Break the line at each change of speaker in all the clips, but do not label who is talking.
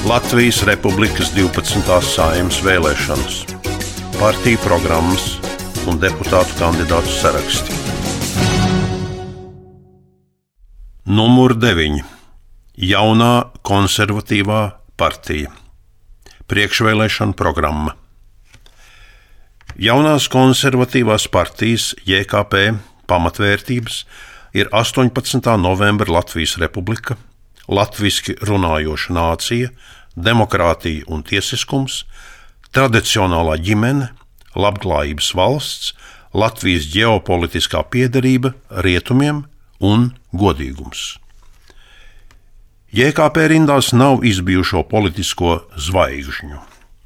Latvijas Republikas 12. Saeimas vēlēšanas, partiju programmas un deputātu kandidātu saraksti. Numur 9. Jaunā konservatīvā partija. Priekšvēlēšana programma. Jaunās konservatīvās partijas JKP pamatvērtības ir 18. novembra Latvijas Republika, latviski runājoša nācija, demokrātija un tiesiskums, tradicionālā ģimene, labklājības valsts, Latvijas ģeopolitiskā piederība rietumiem un godīgums. JKP rindās nav izbijušo politisko zvaigžņu,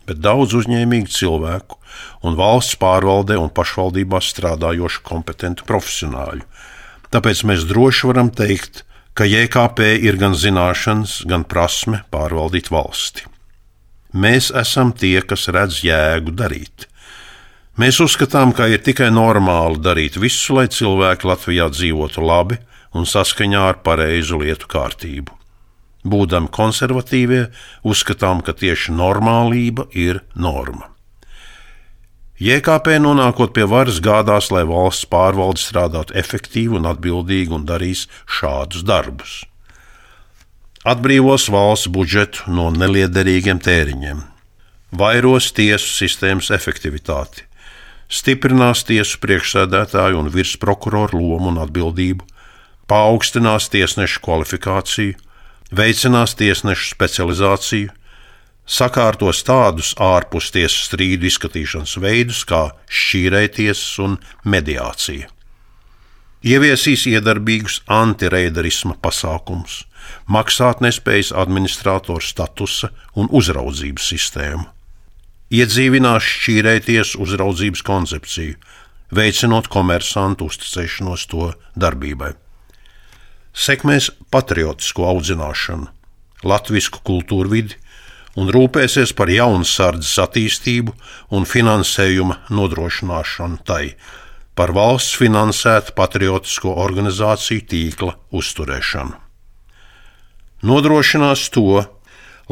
bet daudz uzņēmīgu cilvēku un valsts pārvaldē un pašvaldībās strādājošu kompetentu profesionāļu. Tāpēc mēs droši varam teikt, ka JKP ir gan zināšanas, gan prasme pārvaldīt valsti. Mēs esam tie, kas redz jēgu darīt. Mēs uzskatām, ka ir tikai normāli darīt visu, lai cilvēki Latvijā dzīvotu labi un saskaņā ar pareizu lietu kārtību. Būdami konservatīvie, uzskatām, ka tieši normālība ir norma. JKP nonākot pie varas gādās, lai valsts pārvalde strādātu efektīvi un atbildīgi un darīs šādus darbus. Atbrīvos valsts budžetu no neliederīgiem tēriņiem, vairos tiesu sistēmas efektivitāti, stiprinās tiesu priekšsēdētāju un virsprokuroru lomu un atbildību, paaugstinās tiesnešu kvalifikāciju, veicinās tiesnešu specializāciju, sakārtos tādus ārpus tiesas strīdu izskatīšanas veidus kā šķīrējtiesas un mediācija. Ieviesīs iedarbīgus antireiderisma pasākumus, maksātnespējas administrātora statusa un uzraudzības sistēmu. Iedzīvinās šķīrējtiesu uzraudzības koncepciju, veicinot komersantu uzticēšanos to darbībai. Sekmēs patriotisko audzināšanu, latvisku kultūrvidi un rūpēsies par jaunsardzes attīstību un finansējuma nodrošināšanu tai, par valsts finansētu patriotisko organizāciju tīkla uzturēšanu. Nodrošinās to,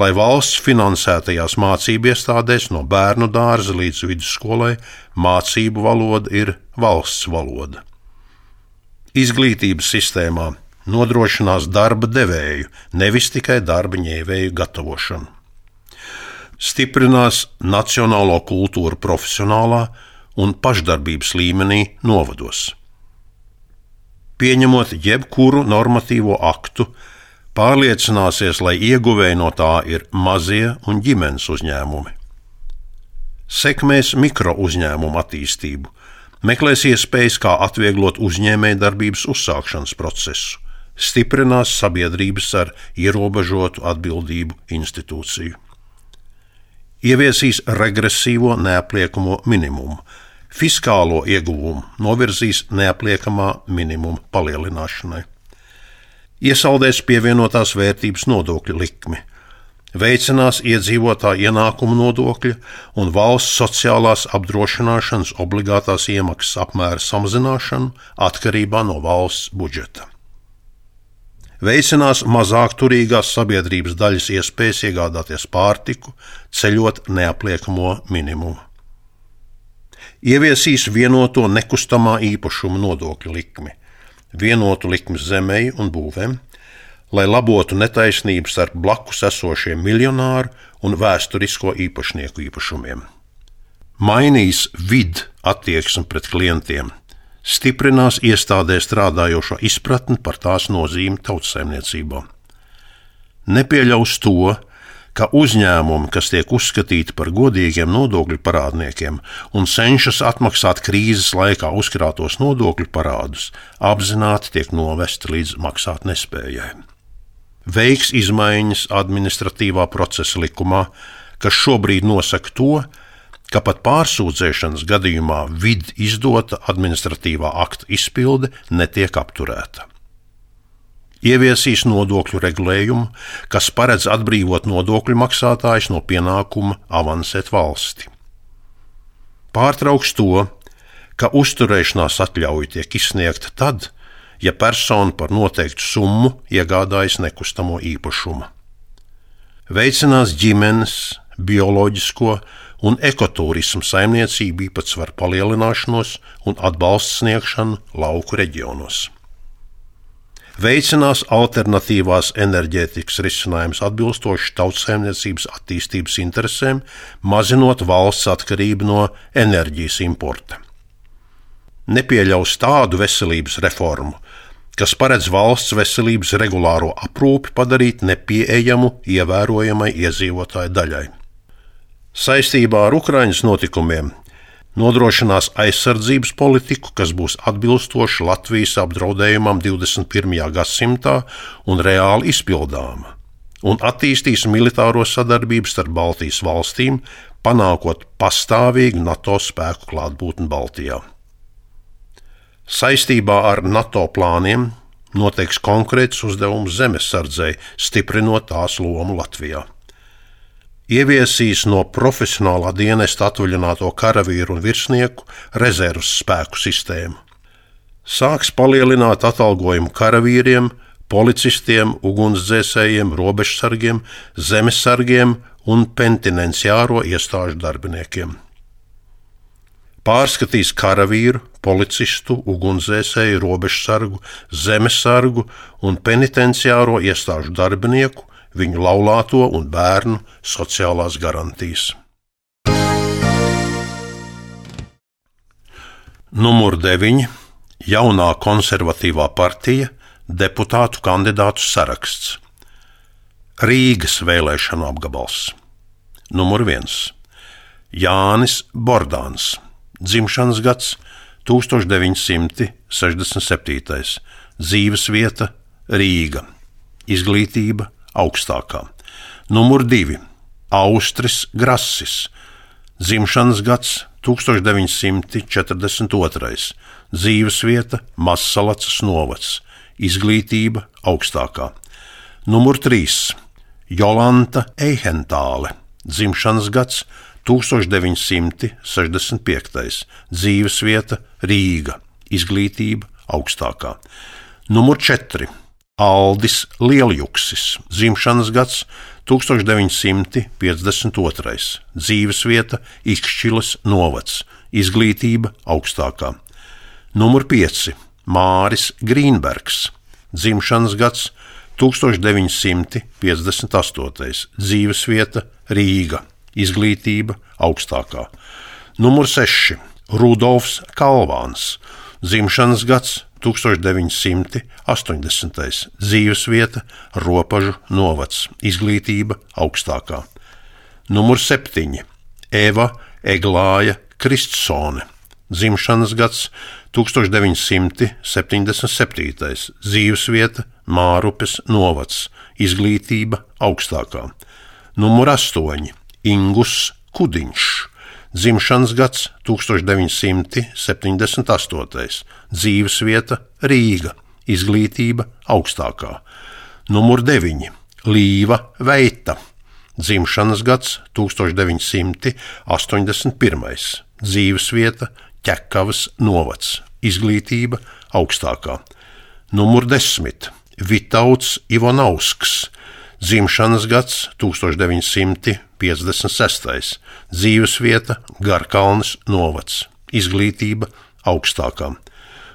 lai valsts finansētajās mācību iestādēs no bērnu dārza līdz vidusskolai mācību valoda ir valsts valoda. Izglītības sistēmā nodrošinās darba devēju, nevis tikai darba ņēvēju gatavošanu. Stiprinās nacionālo kultūru profesionālā un pašdarbības līmenī novados. Pieņemot jebkuru normatīvo aktu, pārliecināsies, lai ieguvēji no tā ir mazie un ģimenes uzņēmumi. Sekmēs mikro uzņēmumu attīstību, meklēs iespējas, kā atvieglot uzņēmējdarbības uzsākšanas procesu, stiprinās sabiedrības ar ierobežotu atbildību institūciju. Ieviesīs regresīvo neapliekamo minimumu, fiskālo ieguvumu novirzīs neapliekamā minimuma palielināšanai. Iesaldēs pievienotās vērtības nodokļu likmi, veicinās iedzīvotāju ienākumu nodokļa un valsts sociālās apdrošināšanas obligātās iemaksas apmēra samazināšanu atkarībā no valsts budžeta. Veicinās mazāk turīgās sabiedrības daļas iespējas iegādāties pārtiku, ceļot neapliekamo minimumu. Ieviesīs vienoto nekustamā īpašuma nodokļu likmi, vienotu likmi zemei un būvēm, lai labotu netaisnības starp blakus esošiem miljonāru un vēsturisko īpašnieku īpašumiem. Mainīs attieksmi pret klientiem, stiprinās iestādē strādājošo izpratni par tās nozīmi tautsaimniecībā. Nepieļaus to, ka uzņēmumi, kas tiek uzskatīti par godīgiem nodokļu parādniekiem un cenšas atmaksāt krīzes laikā uzkrātos nodokļu parādus, apzināti tiek novesti līdz maksātnespējai. Veiks izmaiņas administratīvā procesa likumā, kas šobrīd nosaka to, ka pat pārsūdzēšanas gadījumā izdota administratīvā akta izpilde netiek apturēta. Ieviesīs nodokļu regulējumu, kas paredz atbrīvot nodokļu maksātājus no pienākuma avansēt valsti. Pārtrauks to, ka uzturēšanās atļauja tiek izsniegta tad, ja persona par noteiktu summu iegādājas nekustamo īpašumu. veicinās ģimenes, bioloģisko un ekoturismu saimniecību īpatsvaru palielināšanos un atbalstu sniegšanu lauku reģionos. Veicinās alternatīvās enerģētikas risinājumus atbilstoši tautsaimniecības attīstības interesēm, mazinot valsts atkarību no enerģijas importa. Nepieļaus tādu veselības reformu, kas paredz valsts veselības regulāro aprūpi padarīt nepieejamu ievērojamai iedzīvotāju daļai. Saistībā ar Ukraiņas notikumiem nodrošinās aizsardzības politiku, kas būs atbilstoša Latvijas apdraudējumam 21. gadsimtā un reāli izpildāma, un attīstīs militāro sadarbību starp Baltijas valstīm, panākot pastāvīgu NATO spēku klātbūtni Baltijā. Saistībā ar NATO plāniem noteiks konkrēts uzdevums zemesardzei, stiprinot tās lomu Latvijā. Ieviesīs no profesionālā dienesta atvaļināto karavīru un virsnieku rezerves spēku sistēmu. Sāks palielināt atalgojumu karavīriem, policistiem, ugunsdzēsējiem, robežsargiem, zemesargiem un penitenciāro iestāžu darbiniekiem. Pārskatīs karavīru, policistu, ugunsdzēsēju, robežsargu, zemesargu un penitenciāro iestāžu darbinieku, viņu laulāto un bērnu sociālās garantijas. Numur 9. Jaunā konservatīvā partija deputātu kandidātu saraksts. Rīgas vēlēšanu apgabals. Numur 1. Jānis Bordāns. Dzimšanas gads 1967. Dzīvesvieta Rīga. Izglītība augstākā. Numur 2. Austris Grasis. Dzimšanas gads 1942. Dzīvesvieta Mazsalacas novads. Izglītība augstākā. Numur 3. Jolanta Eihentāle. Dzimšanas gads 1965. Dzīvesvieta Rīga. Izglītība augstākā. Numur 4. Aldis Lieljuksis. Dzimšanas gads 1952. Dzīvesvieta Ikšķiles novads. Izglītība augstākā. Numur 5. Māris Grīnbergs. Dzimšanas gads 1958. Dzīvesvieta Rīga. Izglītība augstākā. Numur 6. Rudolfs Kalvāns. Dzimšanas gads 1980. Dzīvesvieta Ropažu novads. Izglītība augstākā. Numur 7. Eva Eglāja Kristsone. Dzimšanas gads 1977. Dzīvesvieta Mārupes novads. Izglītība augstākā. Numur 8. Ingus Kudiņš. Dzimšanas gads 1978. Dzīvesvieta Rīga. Izglītība augstākā. Numur 9. Līva Veita. Dzimšanas gads 1981. Dzīvesvieta Ķekavas novads. Izglītība augstākā. Numur 10. Vitauds Ivanovsks. Dzimšanas gads 1956. Dzīvesvieta Garkalnes novads. Izglītība augstākā.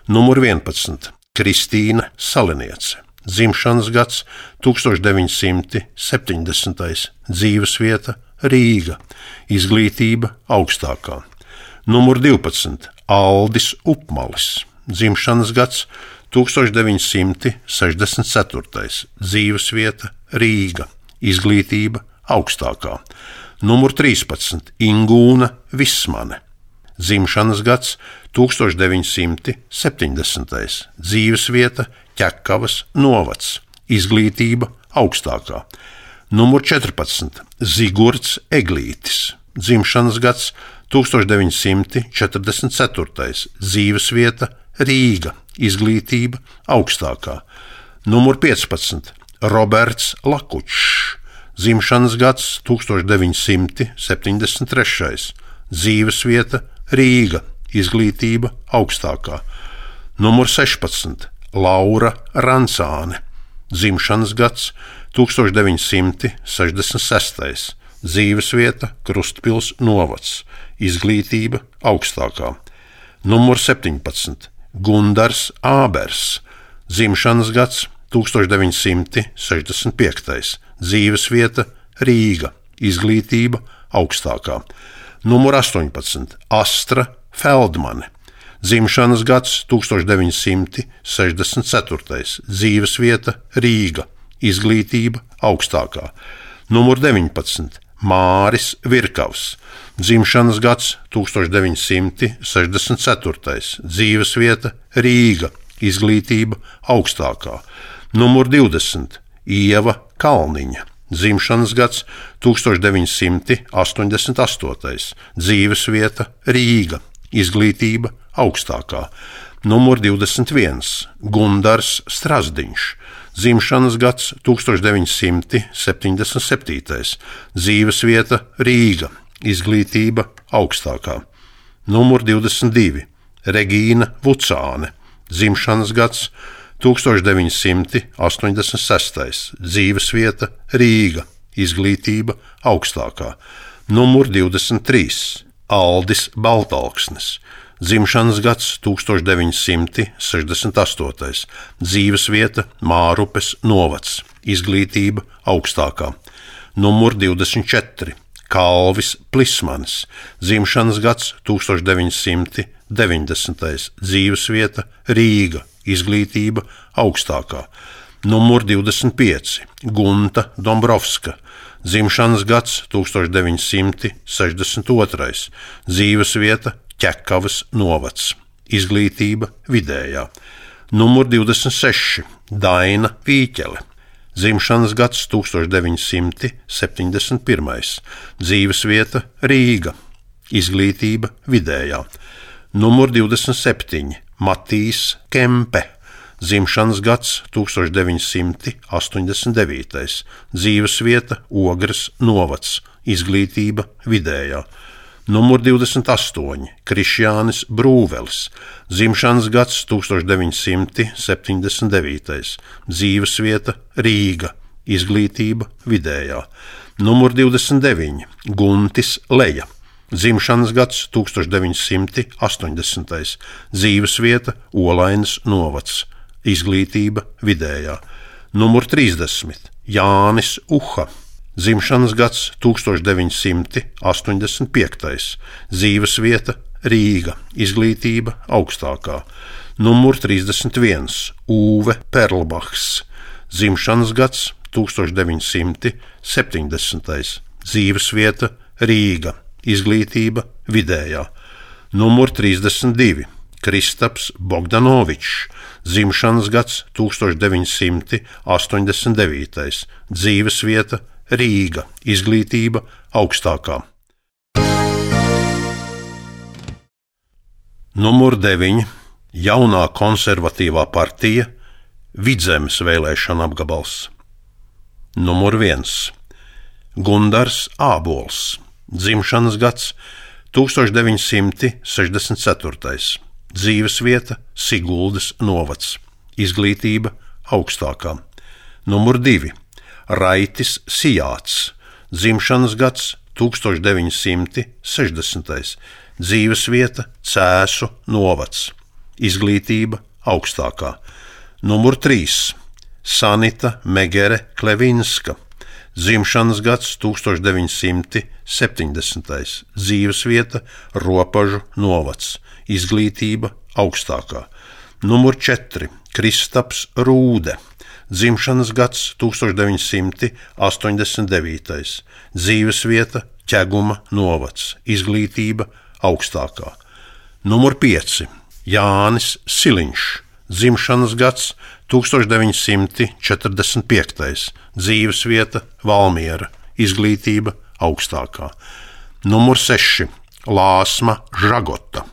Numur 11. Kristīna Saliniece. Dzimšanas gads 1970. Dzīvesvieta Rīga. Izglītība augstākā. Numur 12. Aldis Upmalis. Dzimšanas gads 1964. Dzīvesvieta Rīga. Izglītība augstākā. Numur 13. Ingūna Vismane. Dzimšanas gads 1970. Dzīvesvieta Ķekavas novads. Izglītība augstākā. Numur 14. Zigurds Eglītis. Dzimšanas gads 1944. Dzīvesvieta Rīga. Izglītība augstākā. Numur 15. Roberts Lakučs. Dzimšanas gads 1973. Dzīvesvieta Rīga. Izglītība augstākā. Numur 16. Laura Rancāne. Dzimšanas gads 1966. Dzīvesvieta Krustpils novads. Izglītība augstākā. Numur 17. Gundars Ābers. Dzimšanas gads 1965. Dzīvesvieta Rīga. Izglītība augstākā. Numur 18. Astra Feldmane. Dzimšanas gads 1964. Dzīvesvieta Rīga. Izglītība augstākā. Numur 19. Māris Virkavs. Dzimšanas gads 1964. Dzīvesvieta Rīga. Izglītība augstākā. Numur 20. Ieva Kalniņa. Dzimšanas gads 1988. Dzīvesvieta Rīga. Izglītība augstākā. Numur 21. Gundars Strazdiņš. Dzimšanas gads 1977. Dzīvesvieta Rīga. Izglītība augstākā. Numur 22. Regīna Vucāne. Dzimšanas gads 1986. Dzīvesvieta Rīga. Izglītība augstākā. Numur 23. Aldis Baltalksnis. Dzimšanas gads 1968. Dzīvesvieta Mārupes novads. Izglītība augstākā. Numur 24. Kalvis Plismanis. Dzimšanas gads 1990. Dzīvesvieta Rīga. Izglītība augstākā. Numur 25. Gunta Dombrovska. Dzimšanas gads 1962. Dzīvesvieta Ķekavas novads. Izglītība vidējā. Numur 26. Daina Vīķele. Dzimšanas gads 1971. Dzīvesvieta Rīga. Izglītība vidējā. Numur 27. Matīs Kempe. Dzimšanas gads 1989. Dzīvesvieta Ogres novads. Izglītība vidējā. Numur 28. Krišjānis Brūvelis. Dzimšanas gads 1979. Dzīvesvieta Rīga. Izglītība vidējā. Numur 29. Guntis Leja. Dzimšanas gads 1980. Dzīvesvieta Olainas novads. Izglītība vidējā. Numur 30. Jānis Uha. Dzimšanas gads 1985. Dzīvesvieta Rīga. Izglītība augstākā. Numur 31. Ūve Perlbachs. Dzimšanas gads 1970. Dzīvesvieta Rīga. Izglītība vidējā. Numur 32. Kristaps Bogdanovičs. Dzimšanas gads 1989. Dzīvesvieta Rīga. Izglītība augstākā. Numur 9. Jaunā konservatīvā partija. Vidzemes vēlēšana apgabals. Numur 1. Gundars Ābols. Dzimšanas gads 1964. Dzīvesvieta Siguldas novads. Izglītība augstākā. Numur 2. Raitis Sijāts. Dzimšanas gads 1960. Dzīvesvieta Cēsu novads. Izglītība augstākā. Numur 3. Sanita Megere Klevinska. Dzimšanas gads 1970. Dzīvesvieta Ropažu novads. Izglītība augstākā. Numur 4. Kristaps Rūde. Dzimšanas gads 1989. Dzīvesvieta Ķeguma novads. Izglītība augstākā. Numur 5. Jānis Siliņš. Dzimšanas gads 1945. Dzīvesvieta Valmiera. Izglītība augstākā. Numur 6. Lāsma Žagota.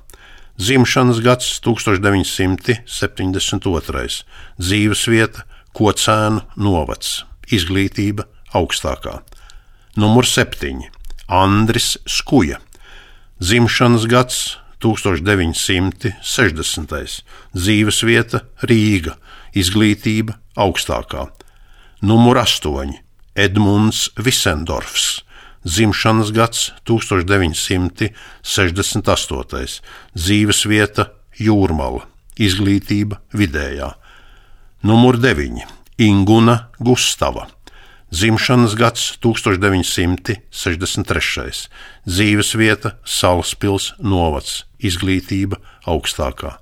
Dzimšanas gads 1972. Dzīvesvieta Kocēnu novads. Izglītība augstākā. Numur 7. Andris Skuja. Dzimšanas gads 1960. Dzīvesvieta Rīga. Izglītība augstākā. Numur 8. Edmunds Visendorfs, dzimšanas gads 1968, dzīvesvieta Jūrmala, izglītība vidējā. Numur 9. Inguna Gustava, dzimšanas gads 1963, dzīvesvieta Salaspils novads, izglītība augstākā.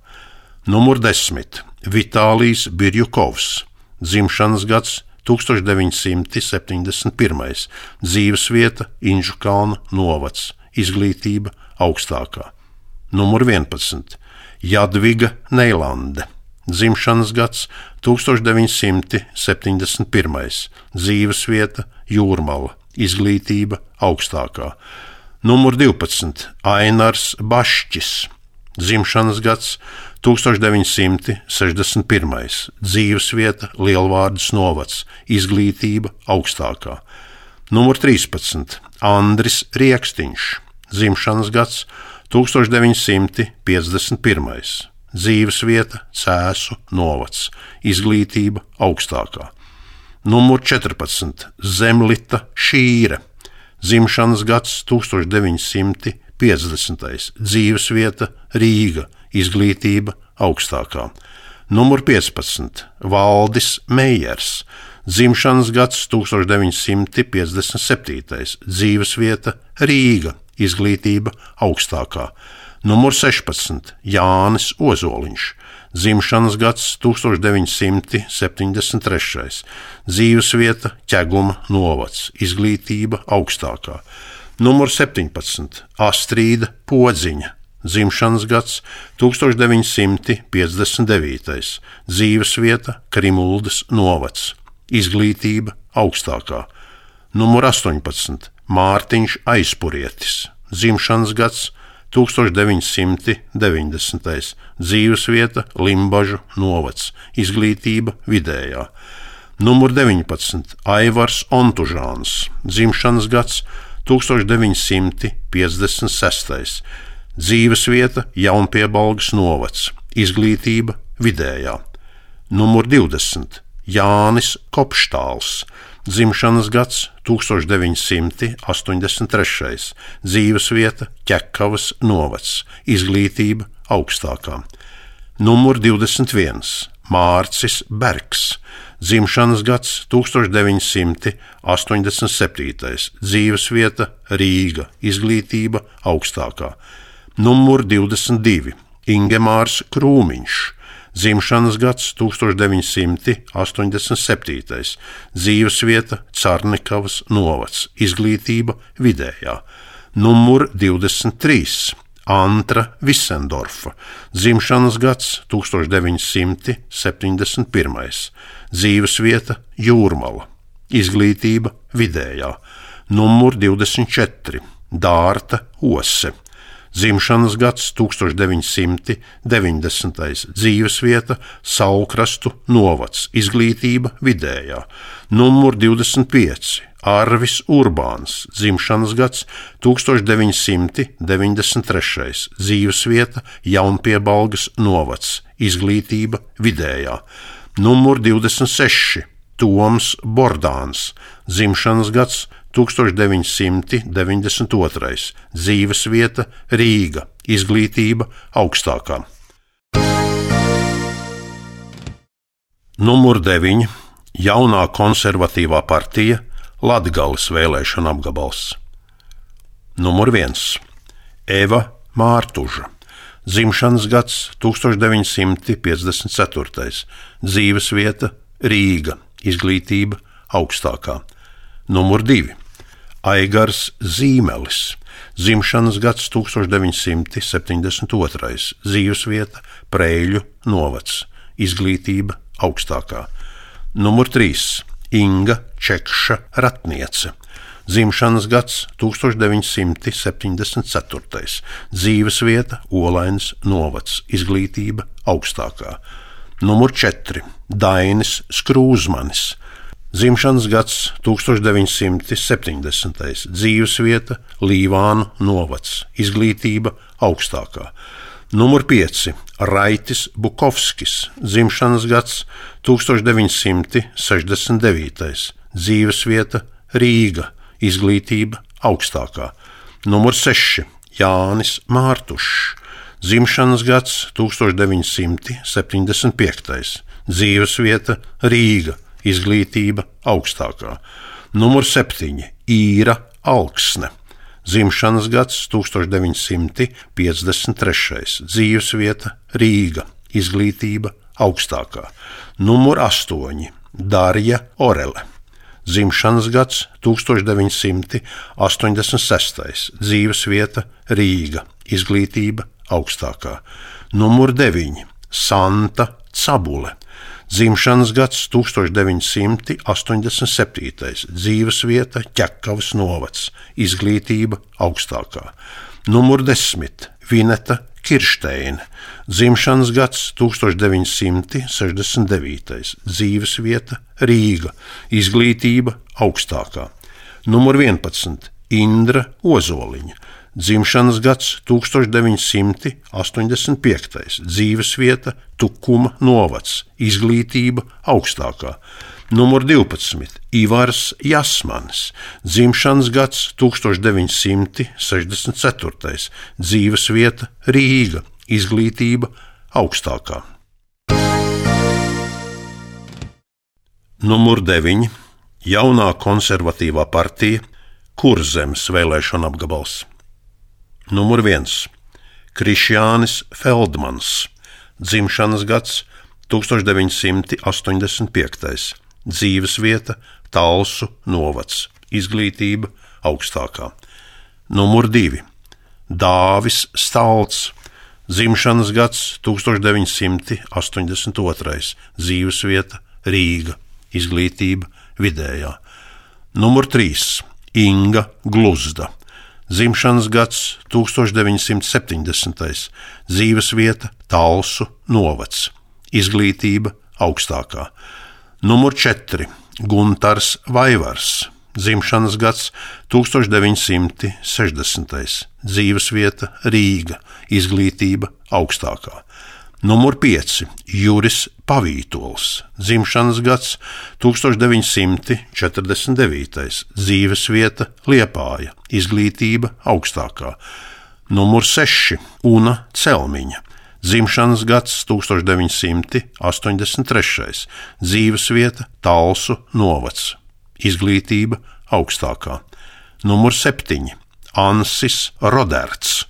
Numur 10. Vitālijs Birjukovs, dzimšanas gads 1971, dzīvesvieta Inžukalna novads, izglītība augstākā. Numur 11. Jadviga Neilande, dzimšanas gads 1971, dzīvesvieta Jūrmala, izglītība augstākā. Numur 12. Ainars Bašķis, dzimšanas gads 1961, dzīvesvieta Lielvārdas novads, izglītība augstākā. Numur 13. Andris Riekstiņš, dzimšanas gads 1951, dzīvesvieta Cēsu novads, izglītība augstākā. Numur 14. Zemlita Šīre, dzimšanas gads 1950, dzīvesvieta Rīga, izglītība augstākā. Numur 15. Valdis Meijers, dzimšanas gads 1957, dzīvesvieta Rīga, izglītība augstākā. Numur 16. Jānis Ozoliņš, dzimšanas gads 1973, dzīvesvieta Ķeguma novads, izglītība augstākā. Numur 17. Astrīda Podziņa, dzimšanas gads 1959, dzīvesvieta Krimuldas novads, izglītība augstākā. Numur 18. Mārtiņš Aizpurietis, dzimšanas gads 1990, dzīvesvieta Limbažu novads, izglītība vidējā. Numur 19. Aivars Ontužāns, dzimšanas gads 1956, dzīvesvieta Jaunpiebalgas novads, izglītība vidējā. Numur 20. Jānis Kopštāls, dzimšanas gads 1983, dzīvesvieta Ķekavas novads, izglītība augstākā. Numur 21. Mārcis Bergs, dzimšanas gads 1987, dzīvesvieta Rīga, izglītība augstākā. Numur 22. Ingemārs Krūmiņš, dzimšanas gads 1987, dzīvesvieta Carnikavas novads, izglītība vidējā. Numur 23. Antra Visendorfa, dzimšanas gads 1971, dzīvesvieta Jūrmala, izglītība vidējā. Numur 24. Dārta Ose, dzimšanas gads 1990, dzīvesvieta Saulkrastu novads, izglītība vidējā. Numur 25. Arvis Urbāns, dzimšanas gads 1993, dzīvesvieta Jaunpiebalgas novads, izglītība vidējā. Numur 26. Toms Bordāns, dzimšanas gads 1992, dzīvesvieta Rīga, izglītība augstākā. Numur 9. Jaunā konservatīvā partija, Latgales vēlēšana apgabals. Numur 1. Eva Mārtuža, dzimšanas gads 1954, dzīvesvieta Rīga, izglītība augstākā. Numur 2. Aigars Zīmelis, dzimšanas gads 1972, dzīvesvieta Preļu novads, izglītība augstākā. Numur 3. Inga Čekša Ratniece, dzimšanas gads 1974, dzīvesvieta Olains novads, izglītība augstākā. Numur 4. Dainis Skrūzmanis, dzimšanas gads 1970, dzīvesvieta Līvānu novads, izglītība augstākā. Numur 5. Raitis Bukovskis, dzimšanas gads 1969, dzīvesvieta Rīga, izglītība augstākā. Numur 6. Jānis Mārtušs, dzimšanas gads 1975, dzīvesvieta Rīga, izglītība augstākā. Numur 7. Īra Alksne, dzimšanas gads 1953, dzīvesvieta Rīga, izglītība augstākā. Numur 8. Darja Orele, dzimšanas gads 1986, dzīvesvieta Rīga, izglītība augstākā. Numur 9. Santa Cabule, dzimšanas gads 1987, dzīvesvieta Ķekavas novads, izglītība augstākā. Numur 10. Vineta Kiršteine, dzimšanas gads 1969, dzīvesvieta Rīga, izglītība augstākā. Numur 11. Indra Ozoliņa, dzimšanas gads 1985, dzīvesvieta Tukuma novads, izglītība augstākā. Numur 12. Ivars Jasmanis, dzimšanas gads 1964, dzīvesvieta Rīga, izglītība augstākā. Numur 9. Jaunā konservatīvā partija Kurzemes vēlēšana apgabals. Numur 1. Krišjānis Feldmans, dzimšanas gads 1985, dzīvesvieta Talsu novads, izglītība augstākā. Numur 2. Dāvis Stalts, dzimšanas gads 1982, dzīvesvieta Rīga, izglītība vidējā. Numur 3. Inga Gluzda, dzimšanas gads 1970, dzīvesvieta Talsu novads, izglītība augstākā. Numur 4. Guntars Vaivars, dzimšanas gads 1960, dzīvesvieta Rīga, izglītība augstākā. Numur 5. Juris Pavītols, dzimšanas gads 1949, dzīvesvieta Liepāja, izglītība augstākā. Numur 6. Una Celmiņa, dzimšanas gads 1983, dzīvesvieta Talsu novads, izglītība augstākā. Numur 7. Ansis Roderts,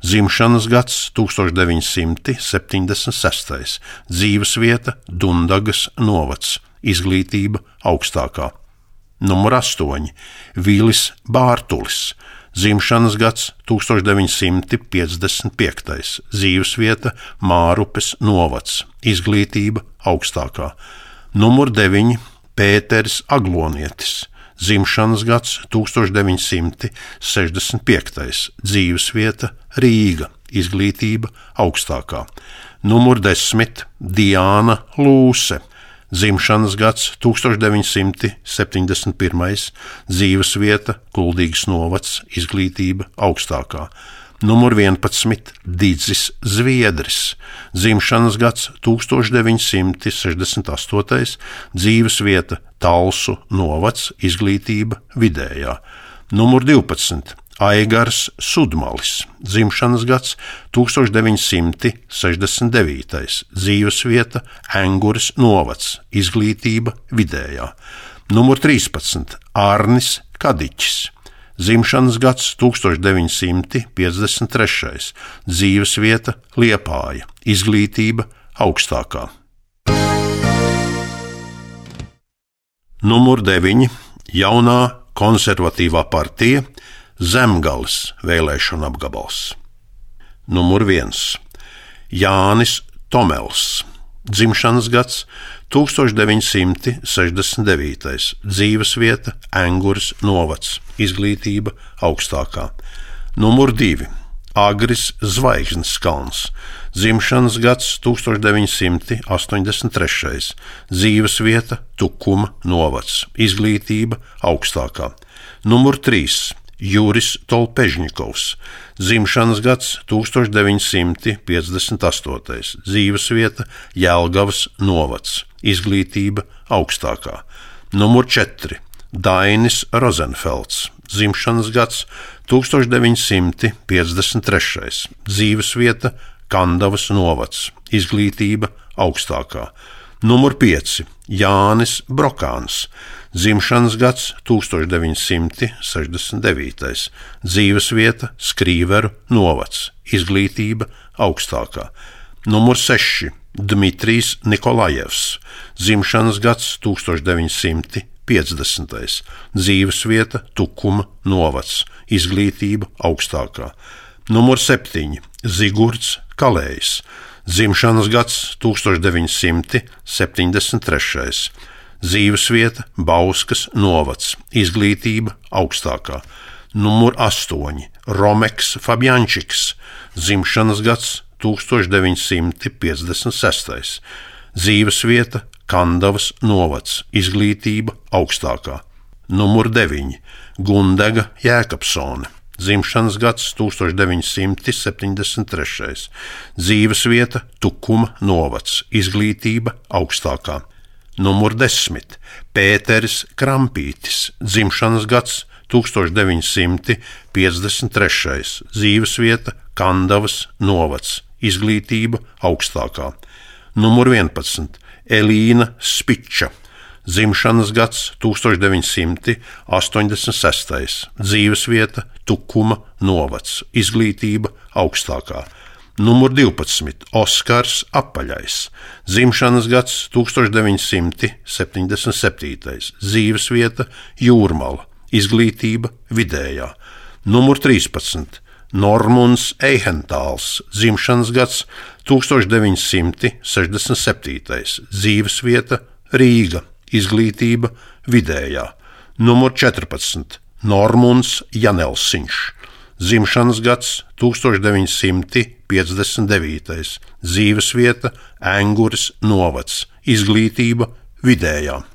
dzimšanas gads 1976, dzīvesvieta Dundagas novads, izglītība augstākā. Numur 8. Vilis Bārtulis, dzimšanas gads 1955, dzīvesvieta Mārupes novads, izglītība augstākā. Numur 9. Pēters Aglonietis, dzimšanas gads 1965, dzīvesvieta Rīga, izglītība augstākā. Numur 10. Diāna Lūse, dzimšanas gads 1971, dzīvesvieta Kuldīgas novads, izglītība augstākā. Numur 11. Didzis Zviedris, dzimšanas gads 1968, dzīvesvieta Talsu novads, izglītība vidējā. Numur 12. Aigars Sudmalis, dzimšanas gads 1969, dzīvesvieta Enguras novads, izglītība vidējā. Numur 13. Arnis Kadiķis, dzimšanas gads 1953, dzīvesvieta Liepāja, izglītība augstākā. Numur 9. Jaunā konservatīvā partija Zemgales vēlēšana apgabals. Numur 1. Jānis Tomels, dzimšanas gads 1969, dzīvesvieta Enguras novads, izglītība augstākā. Numur 2. Agris Zvaigznes kalns, dzimšanas gads 1983, dzīvesvieta Tukuma novads, izglītība augstākā. Numur 3. Juris Tolpežņikovs, dzimšanas gads 1958, dzīvesvieta Jelgavas novads, izglītība augstākā. Numur 4. Dainis Rozenfelds, dzimšanas gads 1953, dzīvesvieta Kandavas novads, izglītība augstākā. Numur 5. Jānis Brokāns, dzimšanas gads 1969, dzīvesvieta Skrīveru novads, izglītība augstākā. Numur 6. Dmitrijs Nikolajevs, dzimšanas gads 1950, dzīvesvieta Tukuma novads, izglītība augstākā. Numur 7. Zigurds Kalējs, dzimšanas gads 1973, dzīvesvieta Bauskas novads, izglītība augstākā. Numur 8. Romeks Fabjančiks, dzimšanas gads 1956, dzīvesvieta Kandavas novads, izglītība augstākā. Numur 9. Gundega Jēkabsone, dzimšanas gads 1973, dzīvesvieta Tukuma novads, izglītība augstākā. Numur 10. Pēteris Krampītis, dzimšanas gads 1953, dzīvesvieta Kandavas novads, izglītība augstākā. Numur 11. Elīna Spiča, dzimšanas gads 1986, dzīvesvieta Tukuma novads, izglītība augstākā. Numur 12. Oskars Apaļais, dzimšanas gads 1977, dzīvesvieta Jūrmala, izglītība vidējā. Numur 13. Normunds Eihentāls, dzimšanas gads 1967, dzīvesvieta Rīga, izglītība vidējā. Numur 14. Normunds Janelsiņš, dzimšanas gads 1959, dzīvesvieta Enguras novads, izglītība vidējā.